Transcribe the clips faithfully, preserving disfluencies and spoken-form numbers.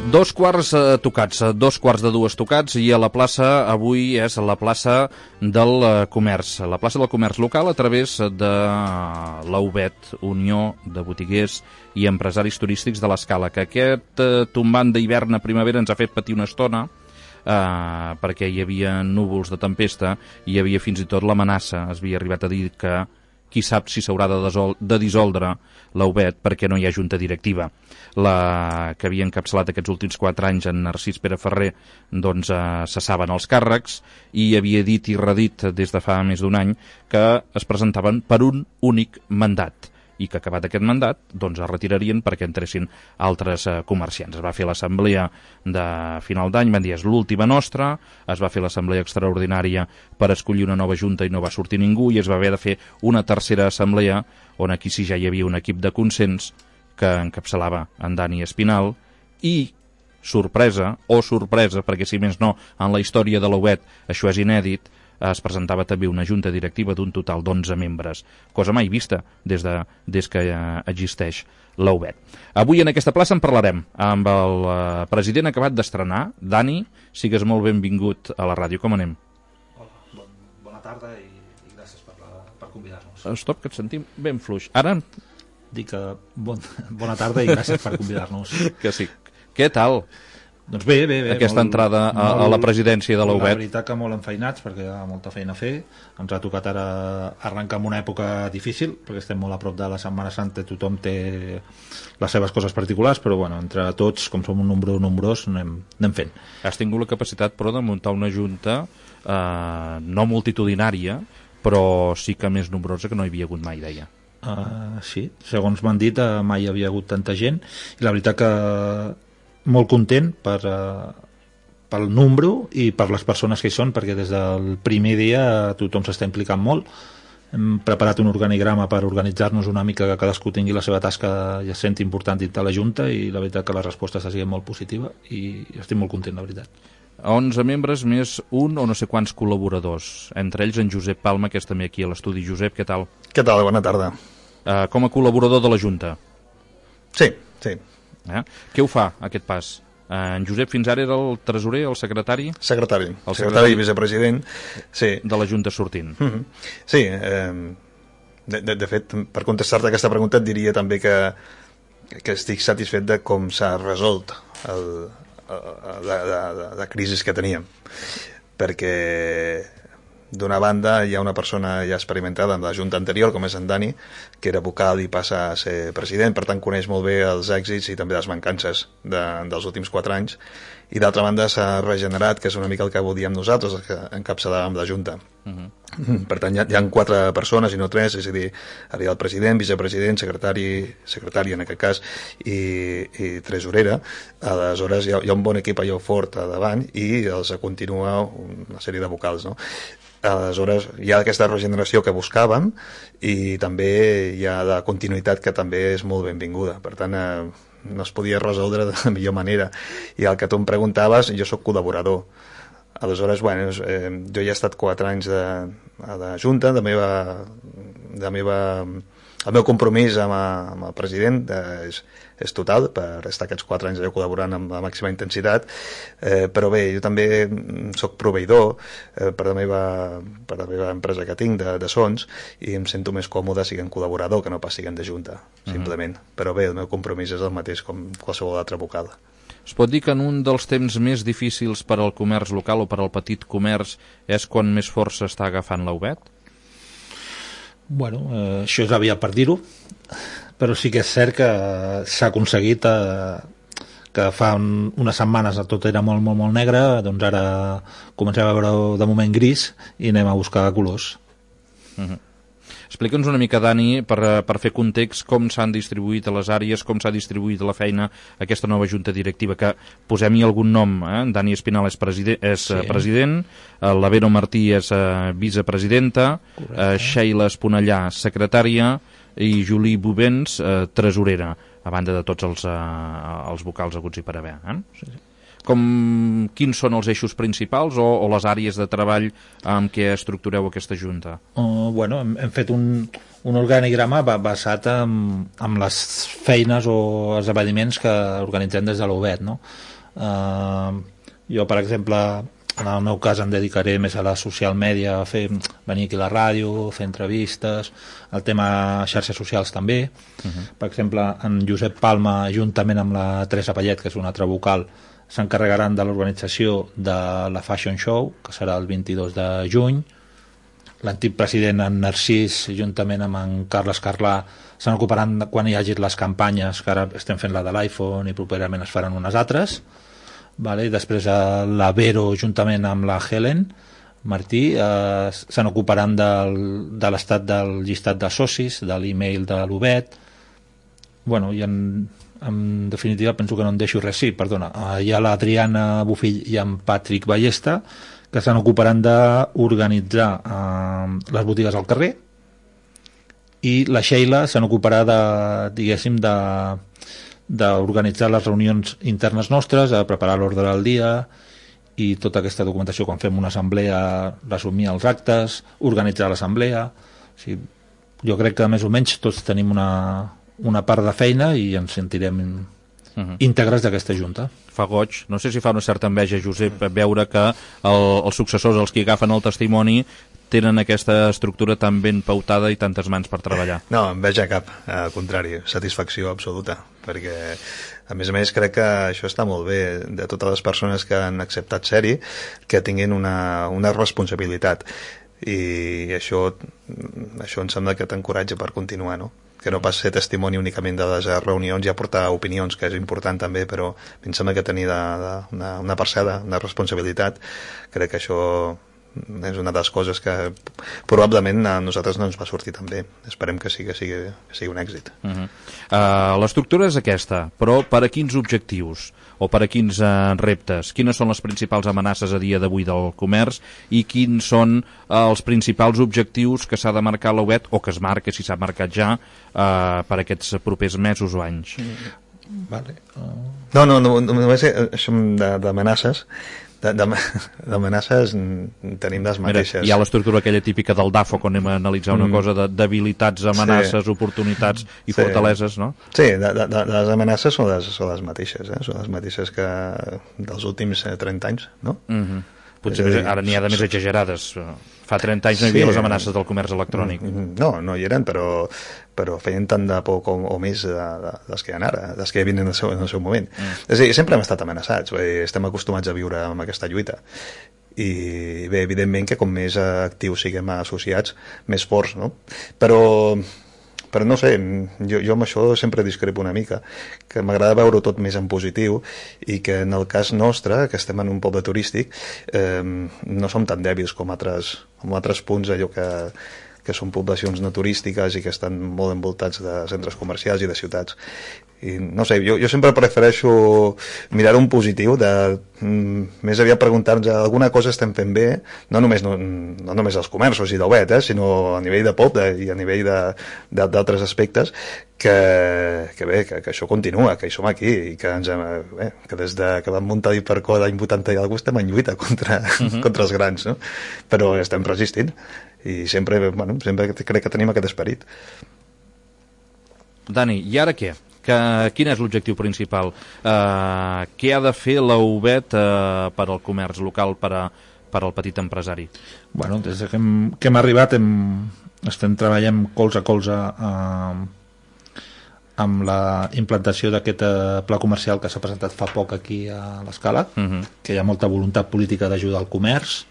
Dos quarts eh, tocats, dos quarts de dues tocats, i a la plaça avui és la plaça del eh, comerç, la plaça del comerç local a través de l'A U B E T, Unió de Botiguers i Empresaris Turístics de l'Escala, que aquest eh, tombant d'hivern a primavera ens ha fet patir una estona, eh, perquè hi havia núvols de tempesta i hi havia fins i tot l'amenaça, es havia arribat a dir que qui sap si s'haurà de, de dissoldre l'A U B E T perquè no hi ha junta directiva. La que havia encapçalat aquests últims quatre anys en Narcís Pere Ferrer, doncs eh, cessaven els càrrecs i havia dit i redit des de fa més d'un any que es presentaven per un únic mandat i que acabat aquest mandat doncs es retirarien perquè entressin altres eh, comerciants. Es va fer l'assemblea de final d'any, van dir és l'última nostra, es va fer l'assemblea extraordinària per escollir una nova junta i no va sortir ningú, i es va haver de fer una tercera assemblea on aquí sí ja hi havia un equip de consens que encapçalava en Dani Espinal i, sorpresa, o sorpresa, perquè si més no, en la història de l'A U B E T això és inèdit, es presentava també una junta directiva d'un total d'onze membres, cosa mai vista des, de, des que eh, existeix l'A U B E T. Avui en aquesta plaça en parlarem amb el eh, president acabat d'estrenar. Dani, sigues molt benvingut a la ràdio. Com anem? Hola, bon, bona tarda i, i gràcies per, la, per convidar-nos. Stop, que et sentim ben fluix. Ara... Dic que bon, bona tarda i gràcies per convidar-nos. Que sí. Què tal? Doncs bé, bé, bé. Aquesta molt, entrada a, molt, a la presidència de l'A U B E T. La veritat que molt enfeinats perquè hi ha molta feina a fer. Ens ha tocat ara arrencar en una època difícil perquè estem molt a prop de la Setmana Santa, tothom té les seves coses particulars, però bueno, entre tots, com som un nombre nombrós, anem, anem fent. Has tingut la capacitat, però, de muntar una junta eh, no multitudinària, però sí que més nombrosa que no hi havia hagut mai, deia. Uh, sí, segons m'han dit, uh, mai hi havia hagut tanta gent, i la veritat que molt content per, uh, pel número i per les persones que hi són, perquè des del primer dia uh, tothom s'està implicant molt. Hem preparat un organigrama per organitzar-nos una mica, que cadascú tingui la seva tasca i es senti important dintre la Junta, i la veritat que la resposta està sent molt positiva i estic molt content, la veritat. onze membres més un o no sé quants col·laboradors, entre ells en Josep Palma, que és també aquí a l'estudi. Josep, què tal? Què tal? Bona tarda. Uh, com a col·laborador de la Junta. Sí, sí. Eh? Què ho fa, aquest pas? Uh, en Josep fins ara era el tresorer, el secretari? Secretari, el secretari, secretari i vicepresident. Sí. De la Junta sortint. Mm-hmm. Sí, eh, de, de, de fet, per contestar-te aquesta pregunta et diria també que, que estic satisfet de com s'ha resolt el, de, de, de, de crisis que teníem, perquè d'una banda hi ha una persona ja experimentada en la junta anterior, com és en Dani, que era vocal i passa a ser president, per tant coneix molt bé els èxits i també les mancances de, dels últims quatre anys, i d'altra banda s'ha regenerat, que és una mica el que volíem nosaltres, el que encapçalàvem la junta. Uh-huh. Per tant hi ha, hi ha quatre persones i no tres, és a dir, ara hi ha el president, vicepresident, secretari, secretari en aquest cas, i, i tresorera. Aleshores hi ha, hi ha un bon equip allò fort a davant i els continua una sèrie de vocals, no? Aleshores hi ha aquesta regeneració que buscàvem i també hi ha la continuïtat que també és molt benvinguda. Per tant, eh, no es podia resoldre de la millor manera. I el que tu em preguntaves, jo sóc col·laborador. Aleshores, bueno, eh, jo ja he estat quatre anys de, a la Junta, de meva, de meva, el meu compromís amb, a, amb el president eh, és, és total, per estar aquests quatre anys allò col·laborant amb la màxima intensitat, eh, però bé, jo també sóc proveïdor eh, per, la meva, per la meva empresa que tinc de, de sons, i em sento més còmode siguent col·laborador que no pas siguent de Junta, simplement. Uh-huh. Però bé, el meu compromís és el mateix com qualsevol altra vocal. Es pot dir que en un dels temps més difícils per al comerç local o per al petit comerç és quan més força està agafant l'A U B E T? Bueno, eh, això és aviat per dir-ho, però sí que és cert que s'ha aconseguit eh, que fa un, unes setmanes tot era molt, molt, molt negre, doncs ara comencem a veure de moment gris i anem a buscar colors. Uh-huh. Explica'ns una mica, Dani, per, per fer context, com s'han distribuït a les àrees, com s'ha distribuït la feina aquesta nova junta directiva, que posem-hi algun nom, eh? Dani Espinal és, preside és sí. president, la Vero Martí és eh, vicepresidenta, eh, Sheila Esponellà, secretària, i Julie Bubens, eh, tresorera. a banda de tots els, uh, els vocals haguts i per haver. Eh? Sí, sí. Com, quins són els eixos principals o, o les àrees de treball amb què estructureu aquesta junta? Uh, bueno, hem, hem fet un, un organigrama basat en, en les feines o esdeveniments que organitzem des de l'U B E T, no? Uh, jo, per exemple, en el meu cas em dedicaré més a la social media, a fer, venir aquí a la ràdio, fer entrevistes, el tema xarxes socials també. Uh-huh. Per exemple, en Josep Palma, juntament amb la Teresa Pallet, que és una altra vocal, s'encarregaran de l'organització de la Fashion Show, que serà el vint-i-dos de juny. L'antic president, en Narcís, juntament amb en Carles Carlà, se'n ocuparan quan hi hagi les campanyes, que ara estem fent la de l'iPhone i properament es faran unes altres. Vale? I després la Vero, juntament amb la Helen Martí, eh, se'n ocuparan del, de l'estat del llistat de socis, de l'email de l'U B E T. Bueno, i en... en definitiva penso que no em deixo res. Sí, perdona, hi ha l'Adriana Bufill i en Patrick Ballesta, que se n'ocuparan d'organitzar eh, les botigues al carrer, i la Sheila se n'ocuparà de, diguéssim, de d'organitzar les reunions internes nostres, a preparar l'ordre del dia i tota aquesta documentació quan fem una assemblea, resumir els actes, organitzar l'assemblea. O sigui, jo crec que més o menys tots tenim una una part de feina i ens sentirem uh-huh. íntegres d'aquesta junta. Fa goig, no sé si fa una certa enveja, Josep, veure que el, els successors, els que agafen el testimoni, tenen aquesta estructura tan ben pautada i tantes mans per treballar. No, enveja cap, al contrari, satisfacció absoluta, perquè a més a més crec que això està molt bé de totes les persones que han acceptat ser-hi, que tinguin una, una responsabilitat, i això, això em sembla que t'encoratja per continuar, no? Que no pas ser testimoni únicament de les reunions i aportar opinions, que és important també, però em sembla que tenir de, de, una, una parcel·la, una responsabilitat, crec que això és una de les coses que probablement a nosaltres no ens va sortir tan bé. Esperem que sigui, que sigui, que sigui un èxit. Uh-huh. uh, L'estructura és aquesta, però per a quins objectius o per a quins uh, reptes? Quines són les principals amenaces a dia d'avui del comerç i quins són uh, els principals objectius que s'ha de marcar l'U B E T o que es marca, si s'ha marcat ja, uh, per aquests propers mesos o anys? Vale. Uh... No, no, no, només això d'amenaces, d'amenaces tenim les mateixes. Mira, hi ha l'estructura aquella típica del D A F O, quan anem a analitzar una mm. cosa de debilitats, amenaces, sí. oportunitats i sí. fortaleses, no? Sí, de, de, de, les amenaces són les, són les mateixes, eh? Són les mateixes que dels últims trenta anys, no? Mhm. Potser dir, ara n'hi ha de més exagerades. Fa trenta anys no hi havia sí. les amenaces del comerç electrònic. No, no hi eren, però, però feien tant de por com, o més de, de, les que hi ha ara, les que hi havien en el seu, en el seu moment. Mm. És a dir, sempre hem estat amenaçats, estem acostumats a viure amb aquesta lluita. I bé, evidentment que com més actius siguem associats, més forts, no? Però... però no sé, jo, jo amb això sempre discrepo una mica, que m'agrada veure-ho tot més en positiu i que en el cas nostre, que estem en un poble turístic, eh, no som tan dèbils com altres, com altres punts allò que, que són poblacions no turístiques i que estan molt envoltats de centres comercials i de ciutats. I no sé, jo, jo sempre prefereixo mirar un positiu, de mm, més aviat preguntar-nos alguna cosa estem fent bé, no només, no, no només als comerços i del B E T, eh, sinó a nivell de poble i a nivell d'altres aspectes, que, que bé, que, que això continua, que hi som aquí i que, ens, bé, que des de que vam muntar l'Hipercor l'any vuitanta i alguna estem en lluita contra, uh-huh. contra els grans, no? Però estem resistint i sempre, bueno, sempre crec que tenim aquest esperit. Dani, i ara què? Que, quin és l'objectiu principal? Uh, què ha de fer la U B E T uh, per al comerç local, per, a, per al petit empresari? Bueno, des que hem, que hem arribat hem, estem treballant colze a colze uh, amb la implantació d'aquest uh, pla comercial que s'ha presentat fa poc aquí a l'Escala, uh-huh. que hi ha molta voluntat política d'ajudar al comerç,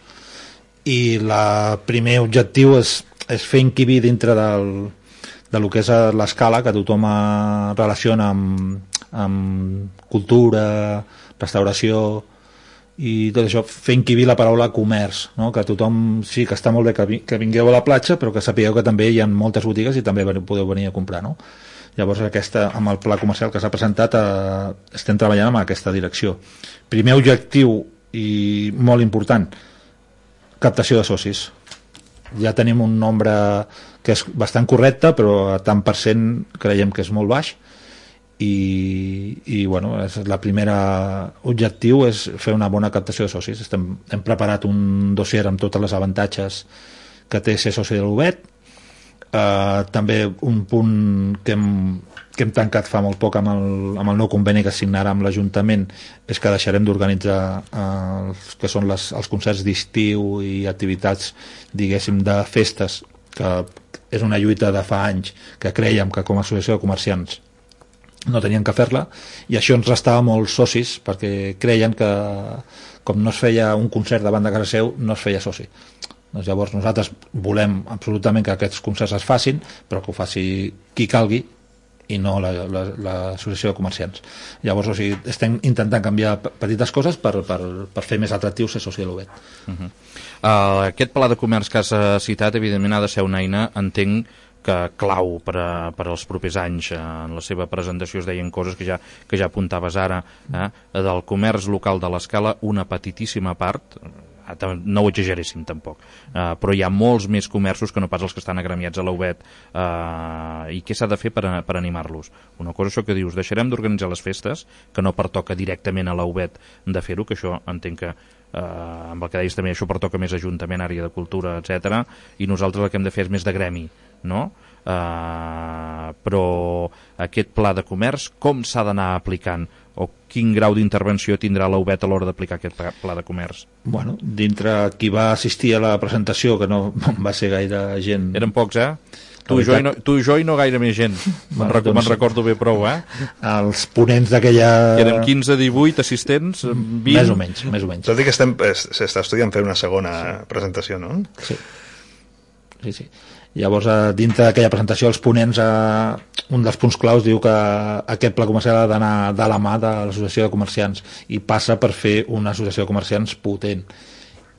i el primer objectiu és, és fer encabir dintre del de lo que és l'Escala, que tothom relaciona amb, amb cultura, restauració i tot això, fer encabir la paraula comerç, no? Que tothom, sí, que està molt bé que, vi, que vingueu a la platja, però que sapigueu que també hi ha moltes botigues i també podeu venir a comprar, no? Llavors, aquesta, amb el pla comercial que s'ha presentat, eh, estem treballant en aquesta direcció. Primer objectiu i molt important, captació de socis. Ja tenim un nombre que és bastant correcte, però a tant per cent creiem que és molt baix, i, i bueno, és la primera objectiu és fer una bona captació de socis. Estem, hem preparat un dossier amb tots els avantatges que té ser soci de l'U B E T. Uh, també un punt que hem, que hem tancat fa molt poc amb el, amb el nou conveni que signarà amb l'Ajuntament és que deixarem d'organitzar uh, els que són les, els concerts d'estiu i activitats, diguéssim, de festes, que és una lluita de fa anys que creiem que com a associació de comerciants no tenien que fer-la, i això ens restava molts socis perquè creien que com no es feia un concert davant de casa seu no es feia soci. Doncs llavors nosaltres volem absolutament que aquests concerts es facin, però que ho faci qui calgui i no l'associació la, la, de comerciants. Llavors, o sigui, estem intentant canviar petites coses per, per, per fer més atractiu ser soci de l'U B E T. Uh -huh. uh, aquest pla de comerç que has citat, evidentment, ha de ser una eina, entenc, que clau per, a, per als propers anys. En la seva presentació es deien coses que ja, que ja apuntaves ara, eh? Del comerç local de l'Escala, una petitíssima part, no ho exageréssim tampoc, uh, però hi ha molts més comerços que no pas els que estan agremiats a l'U B E T, uh, i què s'ha de fer per, per animar-los? Una cosa, això que dius, deixarem d'organitzar les festes, que no pertoca directament a l'U B E T de fer-ho, que això entenc que Uh, amb el que deies també, això pertoca més Ajuntament, àrea de cultura, etcètera, i nosaltres el que hem de fer és més de gremi, no? Uh, però aquest pla de comerç, com s'ha d'anar aplicant? O quin grau d'intervenció tindrà l'U B E T a l'hora d'aplicar aquest pla de comerç? Bueno, dintre qui va assistir a la presentació, que no va ser gaire gent... Eren pocs, eh? Tu i, jo i no, tu i jo i no gaire més gent. Me'n rec doncs, recordo bé prou, eh? Els ponents d'aquella... Érem quinze divuit assistents, vint... Més o menys, més o menys. Tot i que s'està estudiant fer una segona sí. presentació, no? Sí. Sí, sí. Llavors, dintre d'aquella presentació, els ponents, eh, un dels punts claus diu que aquest pla comercial ha d'anar de la mà de l'associació de comerciants i passa per fer una associació de comerciants potent.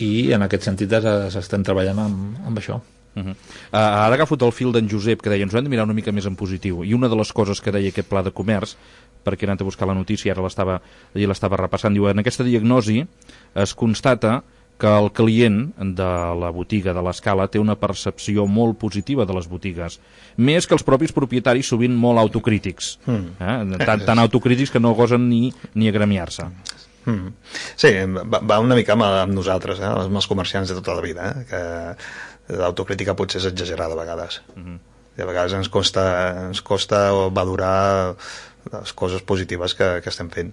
I en aquest sentit s'estem treballant amb, amb això. Uh -huh. uh, ara agafo el fil d'en Josep, que deia ens ho hem de mirar una mica més en positiu, i una de les coses que deia aquest pla de comerç, perquè he anat a buscar la notícia, ara l'estava l'estava repassant, diu, en aquesta diagnosi es constata que el client de la botiga de l'Escala té una percepció molt positiva de les botigues, més que els propis propietaris, sovint molt autocrítics, eh? tan, tan autocrítics que no gosen ni, ni agremiar-se. Mm. Sí, va, va una mica amb, amb nosaltres, eh? amb els comerciants de tota la vida, eh? que l'autocrítica potser és exagerada a vegades. Uh-huh. I a vegades ens costa, ens costa valorar les coses positives que, que estem fent.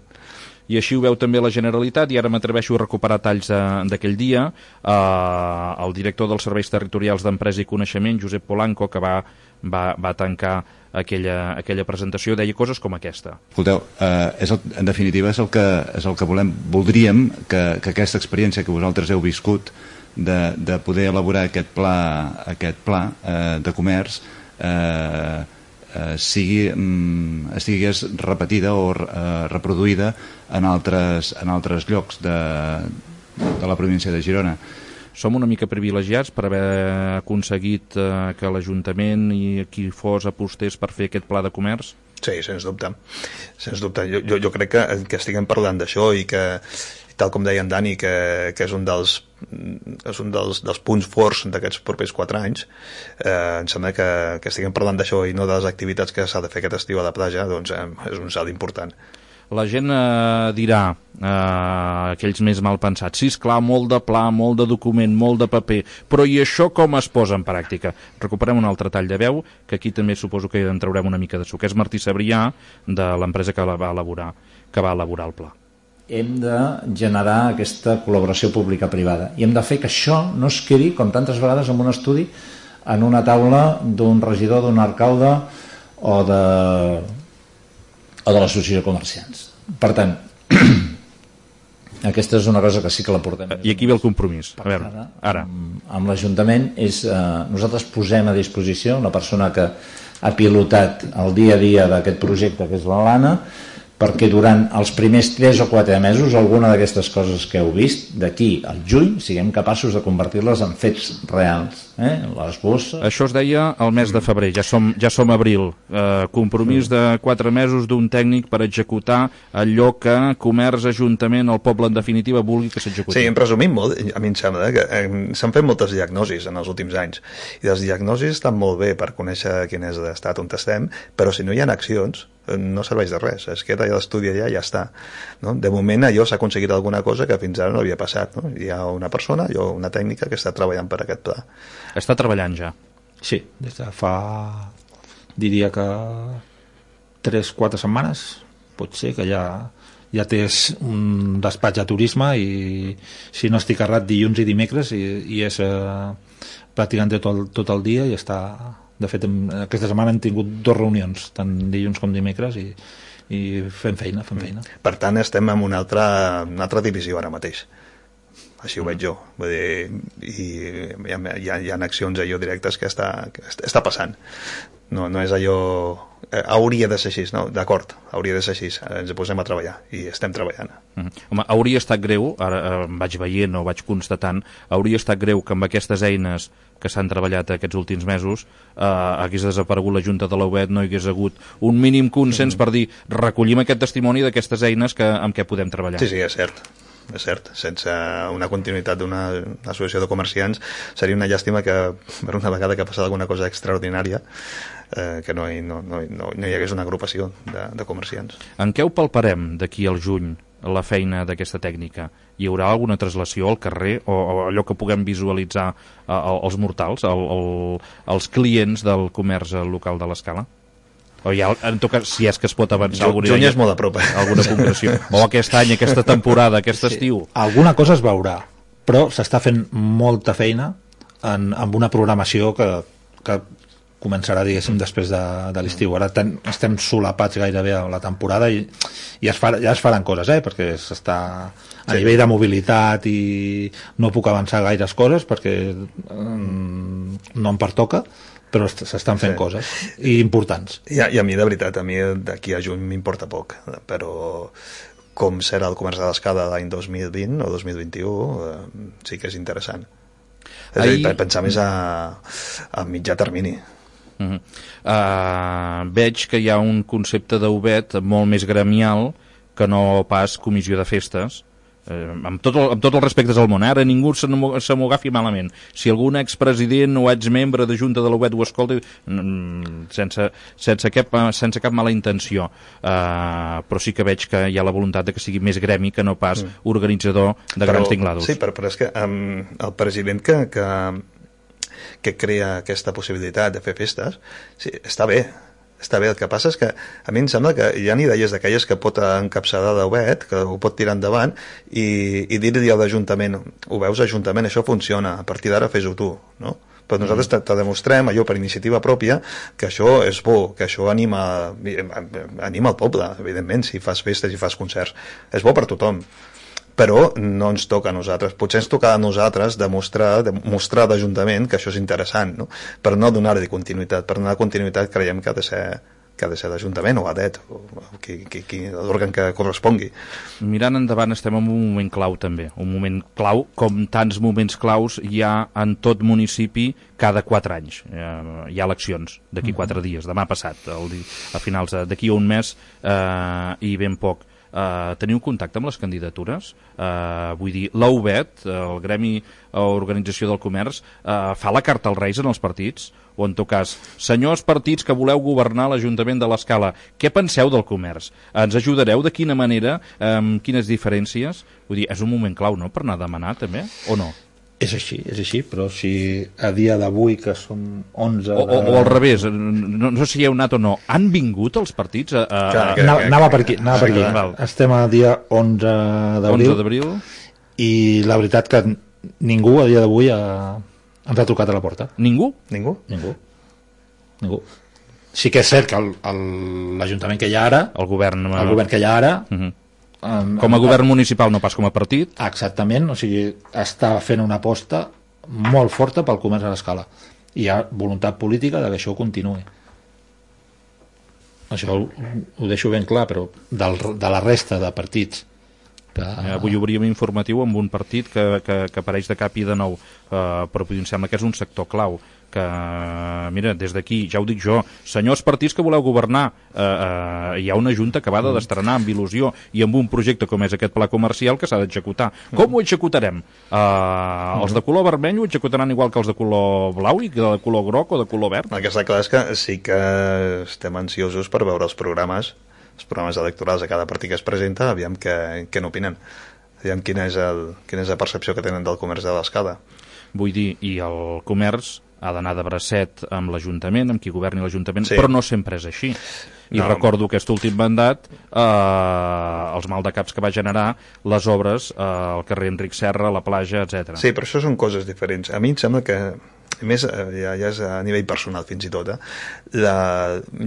I així ho veu també la Generalitat, i ara m'atreveixo a recuperar talls d'aquell dia. Eh, el director dels Serveis Territorials d'Empresa i Coneixement, Josep Polanco, que va, va, va tancar aquella, aquella presentació, deia coses com aquesta. Escolteu, eh, és el, en definitiva és el que, és el que volem. Voldríem que, que aquesta experiència que vosaltres heu viscut De, de poder elaborar aquest pla, aquest pla eh, de comerç eh, eh, sigui, mm, estigués repetida o eh, reproduïda en altres, en altres llocs de, de la província de Girona. Som una mica privilegiats per haver aconseguit eh, que l'Ajuntament i qui fos apostés per fer aquest pla de comerç? Sí, sens dubte. Sens dubte. Jo, jo, jo crec que, que estiguem parlant d'això i que, tal com deia en Dani, que, que és un dels és un dels, dels punts forts d'aquests propers quatre anys, eh, em sembla que, que estiguem parlant d'això i no de les activitats que s'ha de fer aquest estiu a la platja, doncs eh, és un salt important. La gent eh, dirà, eh, aquells més mal pensats, sí, esclar, molt de pla, molt de document, molt de paper, però i això com es posa en pràctica? Recuperem un altre tall de veu, que aquí també suposo que en traurem una mica de suc, és Martí Sabrià, de l'empresa que la va elaborar, que va elaborar el pla. Hem de generar aquesta col·laboració pública-privada i hem de fer que això no es quedi, com tantes vegades en un estudi, en una taula d'un regidor, d'un alcalde o de, o de l'associació de comerciants. Per tant, aquesta és una cosa que sí que la portem. I aquí ve el compromís. A veure, ara. ara. Amb, amb l'Ajuntament és, eh, nosaltres posem a disposició la persona que ha pilotat el dia a dia d'aquest projecte, que és l'Alana, perquè durant els primers tres o quatre mesos alguna d'aquestes coses que heu vist d'aquí al juny siguem capaços de convertir-les en fets reals, eh? Les bosses... Això es deia el mes de febrer, ja som, ja som abril, eh, compromís de quatre mesos d'un tècnic per executar allò que comerç, ajuntament, el poble en definitiva vulgui que s'executi. Sí, en resumim molt, a mi em sembla que eh, s'han fet moltes diagnosis en els últims anys i les diagnosis estan molt bé per conèixer quin és l'estat on estem, però si no hi ha accions no serveix de res, es queda l'estudi allà i ja està, no? De moment allò s'ha aconseguit alguna cosa que fins ara no havia passat, no? Hi ha una persona, allò, una tècnica que està treballant per aquest pla. Està treballant ja? Sí, des de fa, diria que tres o quatre setmanes, pot ser que ja ja tens un despatx de turisme i si no estic errat dilluns i dimecres i, i és eh, pràcticament tot el, tot el dia i està, de fet aquesta setmana hem tingut dues reunions tant dilluns com dimecres i, i fem feina, fem feina. Per tant estem en una altra, una altra divisió ara mateix, així ho veig jo. Vull dir, i hi ha, hi ha, hi ha accions allò directes que està, que està passant. No, no és allò... Eh, hauria de ser així, no? D'acord, hauria de ser així. Ens posem a treballar i estem treballant. Mm -hmm. Home, hauria estat greu, ara eh, vaig veient o vaig constatant, hauria estat greu que amb aquestes eines que s'han treballat aquests últims mesos eh, hagués desaparegut la Junta de l'U B E T, no hi hagués hagut un mínim consens mm. per dir recollim aquest testimoni d'aquestes eines que, amb què podem treballar. Sí, sí, és cert. És cert, sense una continuïtat d'una associació de comerciants seria una llàstima que per una vegada que ha passat alguna cosa extraordinària eh, que no hi, no, no, no, no hi hagués una agrupació de, de comerciants. En què ho palparem d'aquí al juny, la feina d'aquesta tècnica? Hi haurà alguna translació al carrer o, o allò que puguem visualitzar eh, els mortals, el, el, els clients del comerç local de l'Escala? O ja, en tot cas, si és que es pot avançar alguna, juny és molt a prop, eh? alguna concreció. O aquest any, aquesta temporada, aquest sí. estiu. Alguna cosa es veurà, però s'està fent molta feina en, amb una programació que, que començarà, diguéssim, després de, de l'estiu. Ara ten, estem solapats gairebé a la temporada i, i es fa, ja es faran coses, eh? Perquè s'està a sí. nivell de mobilitat i no puc avançar gaires coses perquè um, no em pertoca, però s'estan fent sí. coses i importants. I a, I a mi, de veritat, a mi d'aquí a juny m'importa poc, però com serà el comerç de l'Escala l'any dos mil vint o dos mil vint-i-u eh, sí que és interessant. És Ahir... a dir, pensar més a, a mitjà termini. Uh -huh. uh, veig que hi ha un concepte d'U B E T molt més gremial que no pas comissió de festes. Eh, amb, tot el, amb tots els respectes al món, ara ningú se m'ho agafi malament. Si algun expresident o exmembre de Junta de l'U B E T ho escolta, sense, sense, cap, sense cap mala intenció, eh, però sí que veig que hi ha la voluntat de que sigui més gremi que no pas mm. organitzador de però, grans tinglados. Sí, però, però és que um, el president que, que, que crea aquesta possibilitat de fer festes, sí, està bé, està bé, el que passa és que a mi em sembla que hi ha idees d'aquelles que pot encapçalar l'U B E T, que ho pot tirar endavant i, i dir-li a l'Ajuntament, ho veus, Ajuntament, això funciona, a partir d'ara fes-ho tu, no? Però nosaltres te, te demostrem allò per iniciativa pròpia que això és bo, que això anima anima el poble, evidentment, si fas festes i fas concerts, és bo per tothom, però no ens toca a nosaltres. Potser ens toca a nosaltres demostrar, demostrar d'Ajuntament que això és interessant, no? Per no donar-li continuïtat. Per donar continuïtat creiem que ha de ser, que ha de ser l'Ajuntament o A D E T, o, o qui, qui, qui, l'òrgan que correspongui. Mirant endavant estem en un moment clau també, un moment clau, com tants moments claus hi ha en tot municipi cada quatre anys. Eh, hi ha eleccions d'aquí quatre dies, demà passat, el, a finals d'aquí un mes eh, i ben poc. Uh, teniu contacte amb les candidatures? Uh, vull dir, l'U B E T, el Gremi o Organització del Comerç, uh, fa la carta als Reis en els partits? O en tot cas, senyors partits que voleu governar l'Ajuntament de l'Escala, què penseu del comerç? Ens ajudareu de quina manera? Amb quines diferències? Vull dir, és un moment clau, no?, per anar a demanar també, o no? És així, és així, però si a dia d'avui, que són onze... O, o, o al revés, no, no sé si hi heu anat o no, han vingut els partits a... a... Clar, que, anava, anava per aquí, anava per aquí. Val. Estem a dia onze d'abril i la veritat que ningú a dia d'avui ha, ens ha trucat a la porta. Ningú? Ningú? Ningú. Ningú. Sí que és cert que l'Ajuntament que hi ha ara, el govern, el govern que hi ha ara... Uh -huh. Com a govern municipal, no pas com a partit. Exactament, o sigui, està fent una aposta molt forta pel comerç a l'Escala. Hi ha voluntat política de que això continuï. Això ho, ho deixo ben clar, però del, de la resta de partits Que... Avui obríem informatiu amb un partit que, que, que apareix de cap i de nou, uh, però em sembla que és un sector clau, que, mira, des d'aquí, ja ho dic jo, senyors partits que voleu governar, uh, uh, hi ha una junta acabada d'estrenar amb il·lusió i amb un projecte com és aquest pla comercial que s'ha d'executar. Com ho executarem? Uh, els de color vermell ho executaran igual que els de color blau i que de color groc o de color verd? El que està clar és que sí que estem ansiosos per veure els programes els programes electorals de cada partit que es presenta, aviam què, què n'opinen, aviam quina és, el, quina és la percepció que tenen del comerç de l'Escala. Vull dir, i el comerç ha d'anar de bracet amb l'Ajuntament, amb qui governi l'Ajuntament, sí. Però no sempre és així. I no. Recordo aquest últim mandat, eh, els maldecaps que va generar les obres eh, al carrer Enric Serra, a la platja, etcètera. Sí, però això són coses diferents. A mi em sembla que a més, ja, ja és a nivell personal fins i tot, eh? La,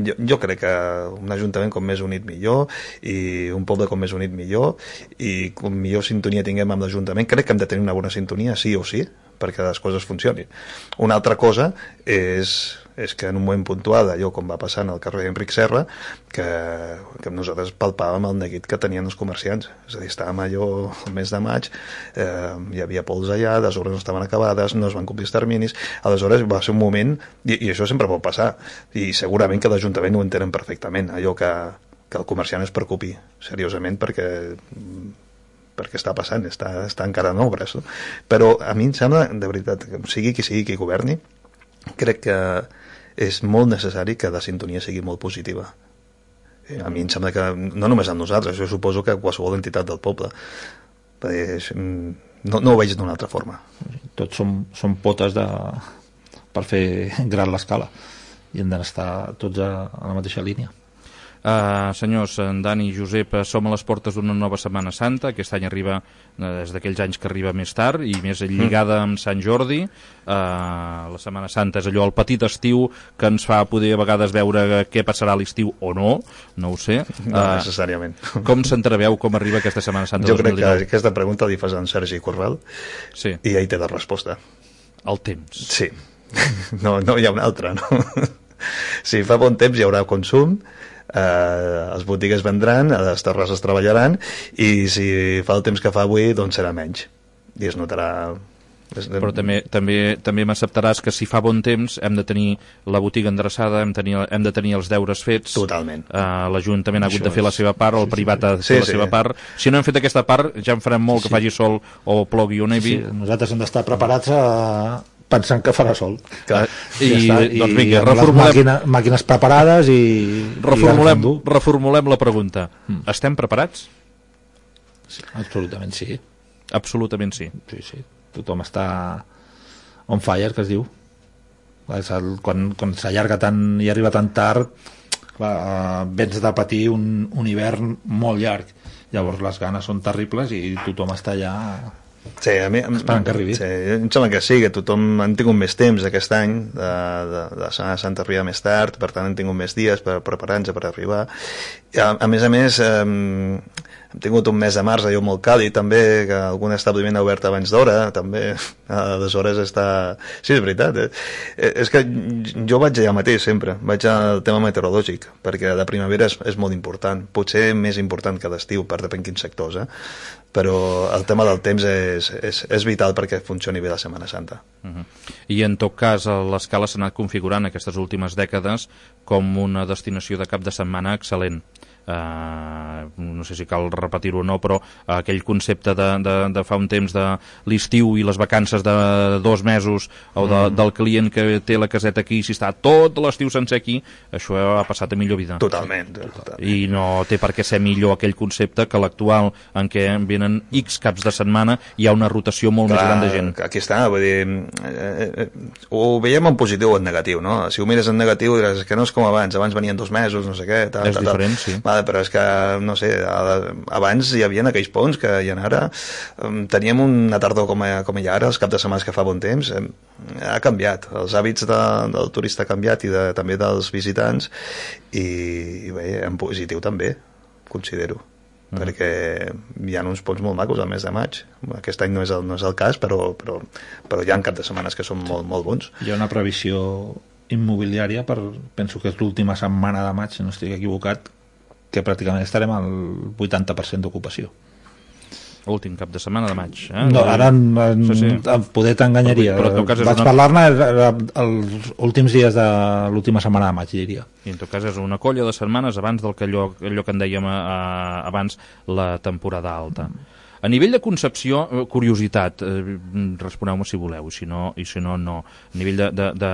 jo, jo crec que un ajuntament com més unit millor i un poble com més unit millor i com millor sintonia tinguem amb l'Ajuntament, crec que hem de tenir una bona sintonia sí o sí perquè les coses funcionin. Una altra cosa és, és que en un moment puntual, allò com va passant al carrer Enric Serra, que, que nosaltres palpàvem el neguit que tenien els comerciants. És a dir, estàvem allò el mes de maig, eh, hi havia pols allà, les obres no estaven acabades, no es van complir els terminis, aleshores va ser un moment, i, i això sempre pot passar, i segurament que l'Ajuntament ho entenen perfectament, allò que, que el comerciant es preocupi seriosament perquè perquè està passant, està, està encara en obres, no? Però a mi em sembla, de veritat, que sigui qui sigui qui governi, crec que és molt necessari que la sintonia sigui molt positiva. A mi em sembla que, no només amb nosaltres, jo suposo que qualsevol entitat del poble, no, no ho veig d'una altra forma. Tots som, som potes de, per fer gran l'escala i hem d'estar tots a, a la mateixa línia. Uh, senyors, en Dani i Josep, som a les portes d'una nova Setmana Santa. Aquest any arriba, des d'aquells anys que arriba més tard i més lligada amb Sant Jordi. uh, la Setmana Santa és allò, el petit estiu que ens fa poder a vegades veure què passarà a l'estiu o no, no ho sé. No uh, necessàriament. Com s'entreveu, com arriba aquesta Setmana Santa jo dos mil dinou? Crec que aquesta pregunta li fas a en Sergi Corral, sí. I ell té la resposta. El temps. Sí, no, no hi ha una altra, no? Si fa bon temps hi haurà consum, eh, les botigues vendran, les terrasses treballaran, i si fa el temps que fa avui, doncs serà menys. I es notarà... Però també, també, també m'acceptaràs que si fa bon temps hem de tenir la botiga endreçada, hem, tenir, hem de tenir els deures fets. Totalment. Uh, L'Ajuntament ha hagut de fer la seva part, o el privat ha de fer sí, la sí. seva part. Si no hem fet aquesta part, ja en farem molt, sí. que faci sol o plogui o nevi. Sí, nosaltres hem d'estar preparats a... pensant que farà sol. Clar. I, I, ja I doncs vinga, reformulem... màquina, màquines preparades i... Reformulem, i reformulem la pregunta. Mm. Estem preparats? Sí, absolutament sí. Absolutament sí. Sí, sí. Tothom està on fire, que es diu. Quan, quan s'allarga tant i arriba tan tard, clar, vens de patir un, un hivern molt llarg. Llavors les ganes són terribles i tothom està allà... Sí, a mi, esperant que arribi. Sí, em sembla que sí, que tothom han tingut més temps aquest any de, de, de Setmana Santa arriba més tard, per tant han tingut més dies per preparar-nos per arribar. A, a més a més, eh, hem tingut un mes de març allò molt càlid també, que algun establiment ha obert abans d'hora també, aleshores està... Sí, és veritat, eh? És que jo vaig allà mateix sempre, vaig al tema meteorològic, perquè la primavera és, és molt important, potser més important que l'estiu, per depèn quins sectors, eh? Però el tema del temps és, és, és vital perquè funcioni bé la Setmana Santa. Uh-huh. I en tot cas l'Escala s'ha anat configurant aquestes últimes dècades com una destinació de cap de setmana excel·lent. Uh, no sé si cal repetir-ho o no, però uh, aquell concepte de, de, de fa un temps de l'estiu i les vacances de dos mesos o de, mm. del client que té la caseta aquí, si està tot l'estiu sencer aquí, això ha passat a millor vida. Totalment, totalment. I no té per què ser millor aquell concepte que l'actual, en què venen X caps de setmana, hi ha una rotació molt Clar, més gran de gent. Aquí està, vull dir, eh, eh, ho veiem en positiu o en negatiu, no? Si ho mires en negatiu diràs que no és com abans, abans venien dos mesos, no sé què, tal, és tal, diferent, tal. sí. Vale, però és que, no sé, abans hi havia aquells ponts que hi ha ara, teníem una tardor com, a, com hi ha ara, els caps de setmana que fa bon temps, ha canviat, els hàbits de, del turista ha canviat i de, també dels visitants, i, i bé, en positiu també, considero, mm. perquè hi ha uns ponts molt macos al mes de maig, aquest any no és el, no és el cas, però, però, però hi ha caps de setmana que són molt, molt bons. Hi ha una previsió immobiliària per, penso que és l'última setmana de maig, si no estic equivocat, que pràcticament estarem al vuitanta per cent d'ocupació. Últim cap de setmana de maig. Eh? No, ara en, en, sí, sí. en poder t'enganyaria. Però, però vaig una... parlar-ne els últims dies de l'última setmana de maig, diria. I en tot cas és una colla de setmanes abans del que allò, allò que en dèiem a, a, abans la temporada alta. A nivell de concepció, curiositat, eh, responeu-me si voleu, i si no, i si no, no. A nivell de, de, de,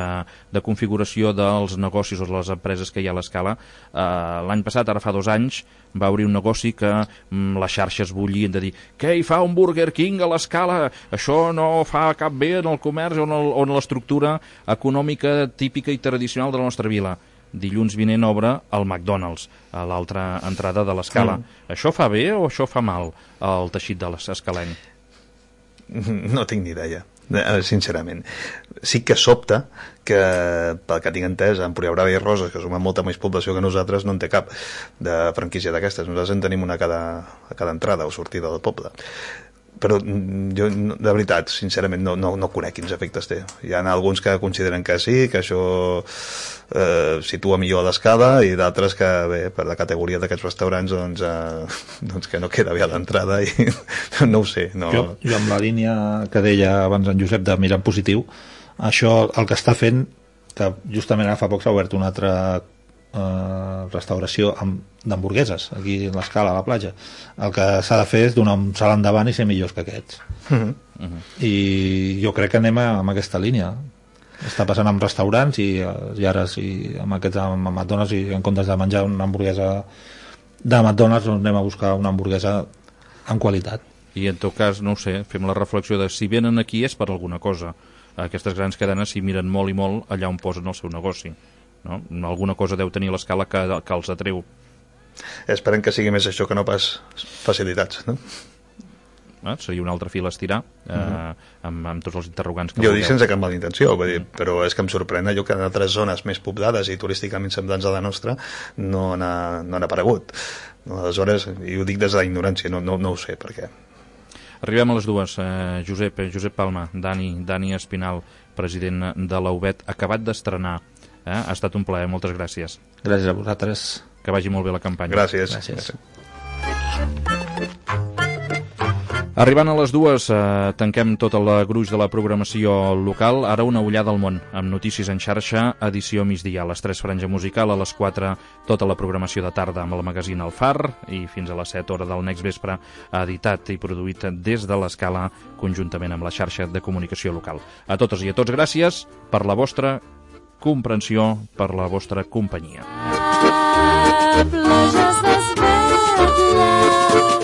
de configuració dels negocis o de les empreses que hi ha a l'Escala, eh, l'any passat, ara fa dos anys, va obrir un negoci que mm, les xarxes bullien de dir què hi fa un Burger King a l'Escala? Això no fa cap bé en el comerç o en l'estructura econòmica típica i tradicional de la nostra vila. Dilluns vinent obre el McDonald's a l'altra entrada de l'Escala. Mm. Això fa bé o això fa mal al teixit de l'escalenc? No tinc ni idea, sincerament. Sí que sobta que, pel que tinc entès, a Empurià Brava i Roses, que som amb molta més població que nosaltres, no en té cap de franquícia d'aquestes. Nosaltres en tenim una a cada, a cada entrada o sortida del poble. Però jo, de veritat, sincerament, no, no, no conec quins efectes té. Hi ha alguns que consideren que sí, que això eh, situa millor a l'escala, i d'altres que, bé, per la categoria d'aquests restaurants, doncs, eh, doncs que no queda bé a l'entrada, i no ho sé. No... Jo, jo amb la línia que deia abans en Josep de mirar en positiu, això el que està fent, que justament ara fa poc s'ha obert una altra Uh, restauració d'hamburgueses aquí a l'Escala, a la platja. El que s'ha de fer és donar un salt endavant i ser millors que aquests. Uh-huh. Uh-huh. I jo crec que anem a, amb aquesta línia. Està passant amb restaurants i, i ara sí, amb aquests amb McDonald's, i en comptes de menjar una hamburguesa de McDonald's, doncs anem a buscar una hamburguesa amb qualitat. I en tot cas, no ho sé, fem la reflexió de si venen aquí és per alguna cosa. Aquestes grans cadenes s'hi miren molt i molt allà on posen el seu negoci. No? Alguna cosa deu tenir l'Escala que, que els atreu. Esperem que sigui més això que no pas facilitats, no? Eh? Seria una altra fila a estirar, eh, uh-huh. amb, amb tots els interrogants que jo vulgueu. dic sense cap mala intenció, vull dir, però és que em sorprèn allò que en altres zones més poblades i turísticament semblants a la nostra no n'ha no aparegut. No, aleshores, i ho dic des de la ignorància, no, no, no ho sé per què. Arribem a les dues. Eh, Josep, Josep Palma, Dani, Dani Espinal, president de l'A U B E T, acabat d'estrenar. Eh? Ha estat un plaer, moltes gràcies. Gràcies a vosaltres. Que vagi molt bé la campanya. Gràcies. Gràcies. Arribant a les dues, eh, tanquem tot el gruix de la programació local. Ara una ullada al món, amb notícies en xarxa, edició migdia. A les tres franja musical, a les quatre tota la programació de tarda amb el magazín El Far, i fins a les set hora del next vespre, editat i produït des de l'Escala, conjuntament amb la xarxa de comunicació local. A totes i a tots, gràcies per la vostra comprensió, per la vostra companyia. Pleasures desvetllats.